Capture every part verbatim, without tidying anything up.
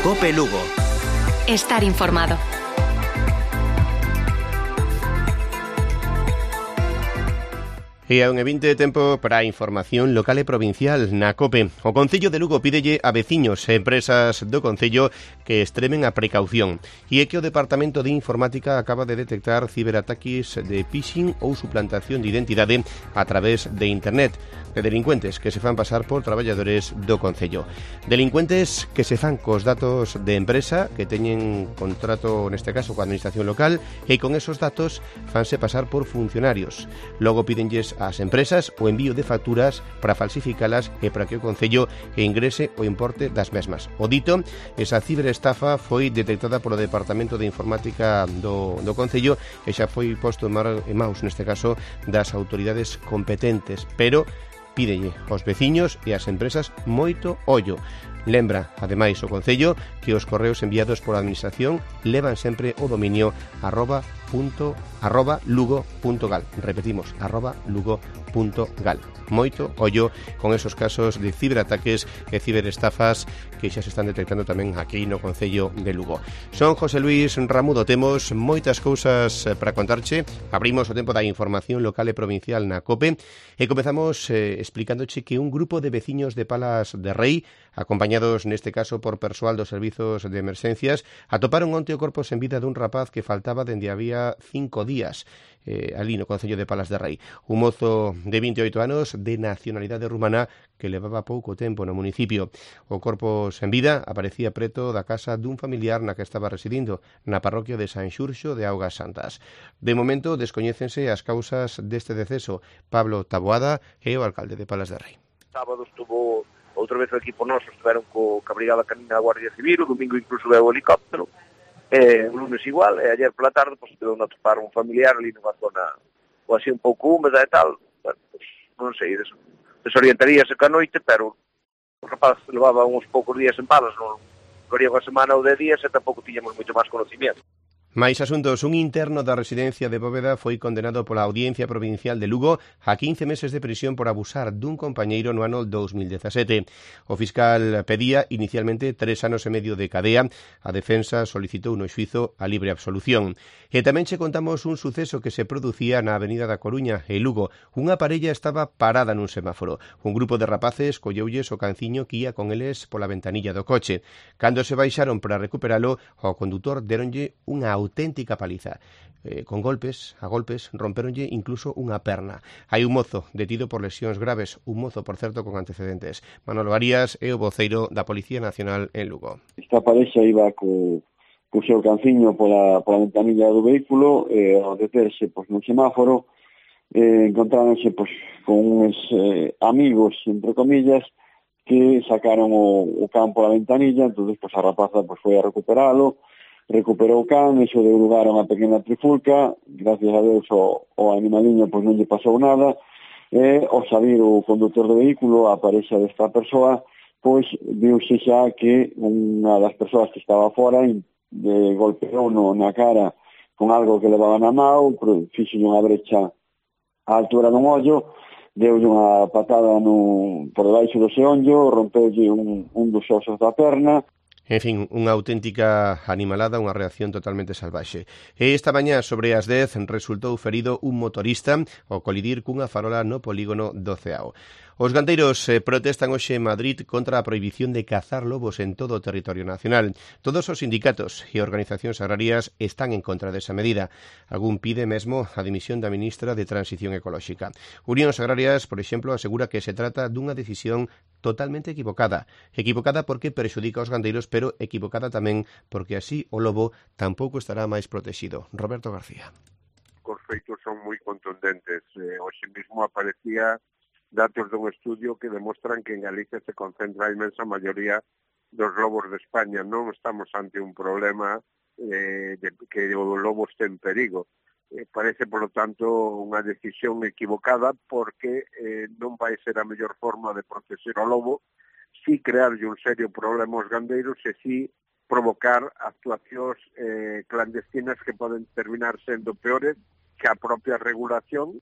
COPE Lugo. Estar informado. E a un e vinte de tempo para a información local e provincial na COPE. O Concello de Lugo pídelle a veciños e empresas do Concello que extremen a precaución. E é que o Departamento de Informática acaba de detectar ciberataques de phishing ou suplantación de identidade a través de Internet, de delincuentes que se fan pasar por traballadores do Concello. Delincuentes que se fan cos datos de empresa que teñen contrato, neste caso, coa administración local, e con esos datos fanse pasar por funcionarios. Logo pídenlles ás empresas o envío de facturas para falsificalas e para que o Concello ingrese o importe das mesmas. O dito, esa ciberestafa foi detectada polo Departamento de Informática do, do Concello e xa foi posto en, mar, en maus, neste caso, das autoridades competentes, pero pídelle aos veciños e ás empresas moito ollo. Lembra, ademais, o Concello que os correos enviados pola Administración levan sempre o dominio arroba punto arroba lugo punto gal. Repetimos, arroba lugo punto gal. Moito ollo con esos casos de ciberataques e ciberestafas que xa se están detectando tamén aquí no Concello de Lugo. Son José Luis Ramudo, temos moitas cousas para contarche. Abrimos o tempo da información local e provincial na COPE e comezamos eh, explicándoche que un grupo de veciños de Palas de Rei, acompañados neste caso por persoal dos servizos de emerxencias, atoparon onte o corpo sen vida dun rapaz que faltaba dende había cinco días eh, ali no Concello de Palas de Rei. Un mozo de vinte e oito anos de nacionalidade rumana que levaba pouco tempo no municipio. O corpo sen vida aparecía preto da casa dun familiar na que estaba residindo, na parroquia de San Xurxo de Augas Santas. De momento descoñécense as causas deste deceso. Pablo Taboada é o alcalde de Palas de Rei. Sábado estuvo outra vez o equipo noso, estiveron co a Brigada Canina da Guardia Civil, o domingo incluso veo o helicóptero, e o lunes igual, e ayer pola tarde pois estiveron a topar un familiar ali nunha zona ou así un pouco húmeda e tal. Bueno, pois, non sei, des, desorientaríase ca noite, pero o rapaz levaba uns poucos días en Palas, non varía unha semana ou de días e tampouco tiñamos moito máis conocimiento. Mais asuntos, un interno da residencia de Bóveda foi condenado pola Audiencia Provincial de Lugo a quince meses de prisión por abusar dun compañeiro no ano dos mil dezasete. O fiscal pedía inicialmente tres anos e medio de cadea. A defensa solicitou no xuízo a libre absolución. E tamén che contamos un suceso que se producía na Avenida da Coruña, en Lugo. Unha parella estaba parada nun semáforo. Un grupo de rapaces colleulles o canciño que ia con eles pola ventanilla do coche. Cando se baixaron para recuperalo, ao condutor deronlle unha auténtica paliza. Eh, con golpes, a golpes, romperonlle incluso unha perna. Hai un mozo detido por lesións graves, un mozo, por certo, con antecedentes. Manolo Arias é o voceiro da Policía Nacional en Lugo. Esta parexa iba co, co seu canciño pola, pola ventanilla do vehículo, e ao deterse pois, no semáforo, eh, encontráronse pois, con uns eh, amigos, entre comillas, que sacaron o, o can pola ventanilla. Entón, pois, a rapaza pois, foi a recuperalo, recuperou o can, iso deu lugar a unha pequena trifulca. Gracias a Deus o, o animaliño pois non lle pasou nada, e ao salir o conductor do vehículo, a parexa desta persoa, pois viuse xa que unha das persoas que estaba fora de golpeou no, na cara con algo que levaba na mão, fixo unha brecha á altura dun ollo, deulle unha patada no, por debaixo do xeonllo, rompeulle un, un dos osos da perna. En fin, unha auténtica animalada, unha reacción totalmente salvaxe. E esta mañá, sobre as dez, resultou ferido un motorista ao colidir cunha farola no polígono do Ceao. Os gandeiros eh, protestan hoxe en Madrid contra a prohibición de cazar lobos en todo o territorio nacional. Todos os sindicatos e organizacións agrarias están en contra desa medida. Algún pide mesmo a dimisión da ministra de Transición Ecolóxica. Unións Agrarias, por exemplo, asegura que se trata dunha decisión totalmente equivocada. Equivocada porque perxudica aos gandeiros, pero equivocada tamén porque así o lobo tampouco estará máis protegido. Roberto García. Os feitos son moi contundentes. Eh, hoxe mesmo aparecía datos dun estudio que demostran que en Galicia se concentra a inmensa maioría dos lobos de España. Non estamos ante un problema eh, de que o lobo este en perigo. Eh, parece, por lo tanto, unha decisión equivocada porque eh, non vai ser a mellor forma de proteger o lobo, si crearlle un serio problema aos gandeiros e si provocar actuacións eh, clandestinas que poden terminar sendo peores que a propia regulación.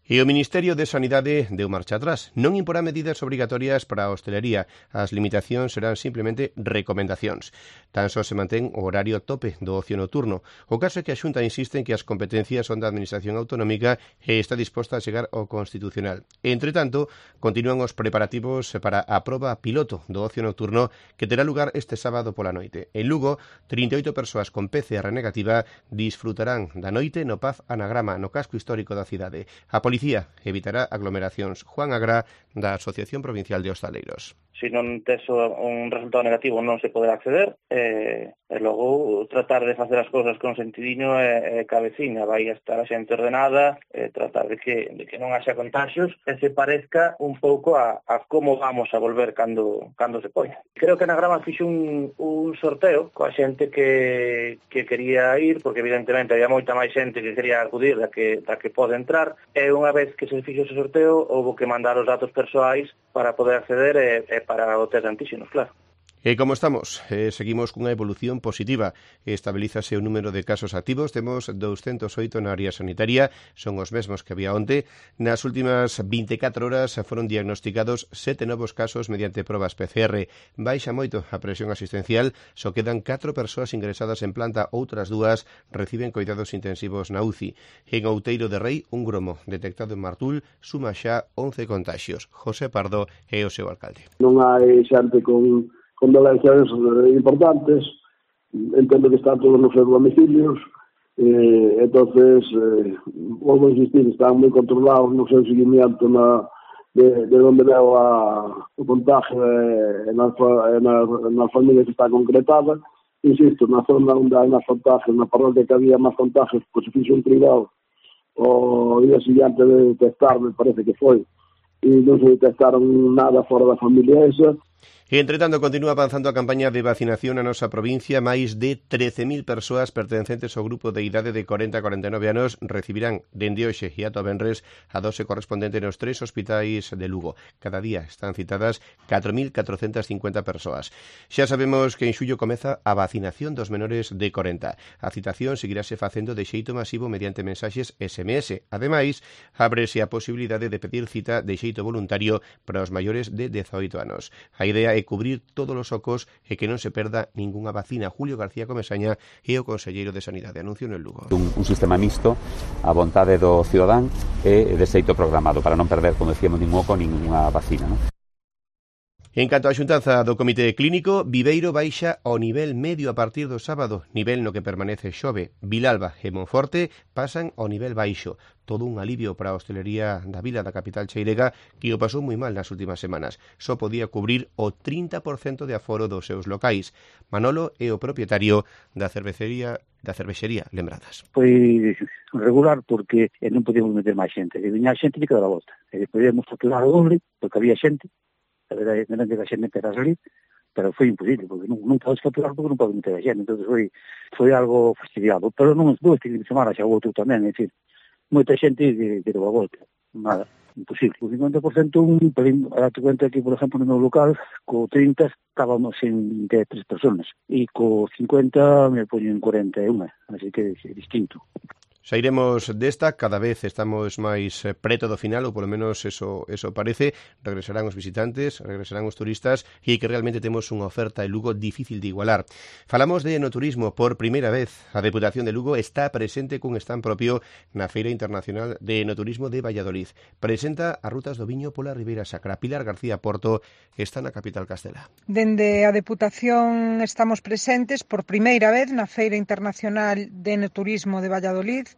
E o Ministerio de Sanidade deu marcha atrás. Non imporá medidas obrigatorias para a hostelería. As limitacións serán simplemente recomendacións. Tan só se mantén o horario tope do ocio nocturno. O caso é que a Xunta insiste en que as competencias son da Administración Autonómica e está disposta a chegar ao Constitucional. Entre tanto, continúan os preparativos para a proba piloto do ocio nocturno que terá lugar este sábado pola noite. En Lugo, trinta e oito persoas con P C R negativa disfrutarán da noite no P A F Anagrama, no casco histórico da cidade. A policía evitará aglomeracións. Juan Agra, da Asociación Provincial de Hostaleiros. Se non tes un resultado negativo non se poderá acceder e, e logo tratar de facer as cousas con sentidiño e, e cabeciña, vai estar a xente ordenada e tratar de que, de que non haxa contagios e se parezca un pouco a, a como vamos a volver cando, cando se poña. Creo que na Grama fixo un, un sorteo coa xente que, que quería ir, porque evidentemente había moita máis xente que quería acudir da que, da que pode entrar, e unha vez que se fixo ese sorteo houve que mandar os datos persoais para poder acceder e, e para o test de antíxenos, claro. E como estamos? Eh, seguimos cunha evolución positiva. Estabilízase o número de casos activos. Temos doscientos oito na área sanitaria. Son os mesmos que había onte. Nas últimas vinte e catro horas foron diagnosticados sete novos casos mediante probas P C R. Baixa moito a presión asistencial. Só quedan catro persoas ingresadas en planta. Outras dúas reciben cuidados intensivos na U C I. En Outeiro de Rei, un gromo detectado en Martul suma xa once contagios. José Pardo é o seu alcalde. Non hai xente con... con dolencias importantes, entendo que están todos nos seus domicilios, eh, entonces, eh, volvo a insistir, están moi controlados no seu seguimiento na, de, de onde veo a, o contagio e nas na, na familias que está concretada. Insisto, na zona onde hai máis contagios, na parroquia que había máis contagios, pois se fixo un cribado o día seguinte de detectar, me parece que foi, e non se detectaron nada fora da familia esa. E, entre tanto, continúa avanzando a campaña de vacinación na nosa provincia. Máis de trece mil persoas pertencentes ao grupo de idade de corenta a corenta e nove anos recibirán dende hoxe e ata o venres a dose correspondente nos tres hospitais de Lugo. Cada día están citadas catro mil catrocentas cincuenta persoas. Xa sabemos que en xullo comeza a vacinación dos menores de corenta. A citación seguirase facendo de xeito masivo mediante mensaxes S M S. Ademais, ábrese a posibilidade de pedir cita de xeito voluntario para os maiores de dezaoito anos. A idea é cubrir todos os ocos e que non se perda ningunha vacina. Julio García Comesaña é o conselleiro de Sanidade. Anuncio no Lugo. Un, un sistema mixto a vontade do cidadán e de xeito programado para non perder, como decíamos, ningún oco, ninguna vacina, non? En canto á xuntanza do Comité Clínico, Viveiro baixa ao nivel medio a partir do sábado, nivel no que permanece Xove. Vilalba e Monforte pasan ao nivel baixo. Todo un alivio para a hostelería da vila da capital cheirega, que o pasou moi mal nas últimas semanas. Só podía cubrir o trinta por cento de aforo dos seus locais. Manolo é o propietario da cervecería da cervexería Lembradas. Foi regular porque non podíamos meter máis xente. E viña xente e quedaba a volta. E podíamos facturar o doble porque había xente. A verdade, non que a xente metera a salir, pero foi imposible, porque non, non podes facturar porque non podes meter a xente, entón foi, foi algo fastidiado. Pero non dous fin de semana xa o outro tamén, é dicir, moita xente que, que deu a volta, nada, imposible. O cincuenta por cento, un pelín, a te cuenta que, por exemplo, no meu local, co trinta estábamos en vinte e tres personas, e co cincuenta me poño en cuarenta e unha, así que é distinto. Sairemos desta, cada vez estamos máis preto do final, ou polo menos eso, eso parece. Regresarán os visitantes, regresarán os turistas, e que realmente temos unha oferta en Lugo difícil de igualar. Falamos de enoturismo por primeira vez. A Deputación de Lugo está presente cun stand propio na Feira Internacional de Enoturismo de Valladolid. Presenta as rutas do viño pola Ribeira Sacra. Pilar García Porto está na capital castela. Dende a Deputación estamos presentes por primeira vez na Feira Internacional de Enoturismo de Valladolid,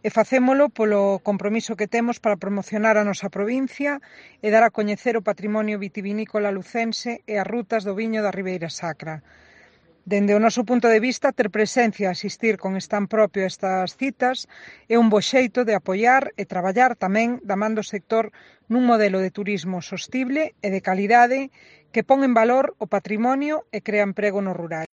e facémolo polo compromiso que temos para promocionar a nosa provincia e dar a coñecer o patrimonio vitivinícola lucense e as rutas do viño da Ribeira Sacra. Dende o noso punto de vista, ter presencia e asistir con stand propio a estas citas é un bo xeito de apoiar e traballar tamén da man do sector nun modelo de turismo sostible e de calidade que pon en valor o patrimonio e crea emprego no rural.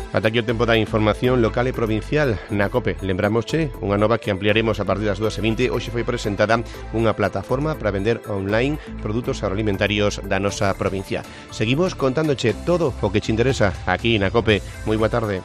Ata aquí o tempo da información local e provincial na COPE. Lembramosche unha nova que ampliaremos a partir das dúas e vinte. Hoxe foi presentada unha plataforma para vender online produtos agroalimentarios da nosa provincia. Seguimos contándoche todo o que te interesa aquí na COPE. Moi boa tarde.